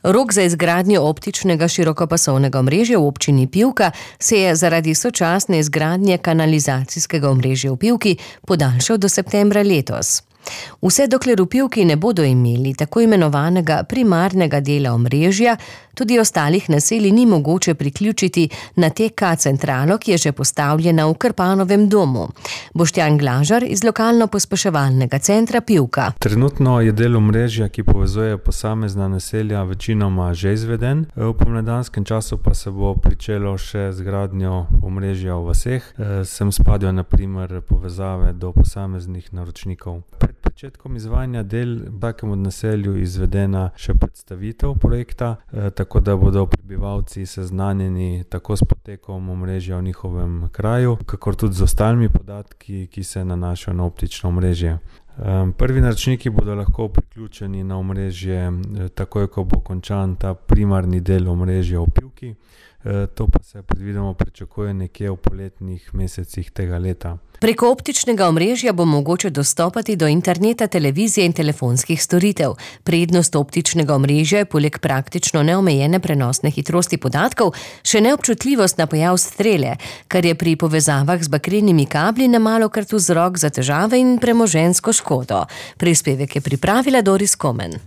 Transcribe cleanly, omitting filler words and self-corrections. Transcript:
Rok za izgradnjo optičnega širokopasovnega omrežja v občini Pivka se je zaradi sočasne izgradnje kanalizacijskega omrežja v Pivki podaljšal do septembra letos. Vse dokler v Pivki ne bodo imeli tako imenovanega primarnega dela omrežja, tudi ostalih naselij ni mogoče priključiti na TK centralo, ki je že postavljena v Krpanovem domu. Boštjan Glažar iz lokalno-pospeševalnega centra Pivka. Trenutno je del omrežja, ki povezuje posamezna naselja, večinoma že izveden. V pomladanskem času pa se bo pričelo še z gradnjo omrežja v vaseh. Sem spadajo na primer povezave do posameznih naročnikov. Pred začetkom izvajanja del v vsakem od naselju izvedena še predstavitev projekta, tako da bodo prebivalci seznanjeni tako s potekom omrežja v njihovem kraju, kakor tudi z ostalimi podatki, ki se nanašajo na optično omrežje. Prvi naročniki bodo lahko priključeni na omrežje takoj, ko bo končan ta primarni del omrežja v Pivki. To pa se predvidoma pričakuje nekje v poletnih mesecih tega leta. Preko optičnega omrežja bo mogoče dostopati do interneta, televizije in telefonskih storitev. Prednost optičnega omrežja je poleg praktično neomejene prenosne hitrosti podatkov še neobčutljivost na pojav strele, kar je pri povezavah z bakrenimi kabli nemalokrat vzrok za težave in premoženjsko škodo. Prispevek je pripravila Doris Komen.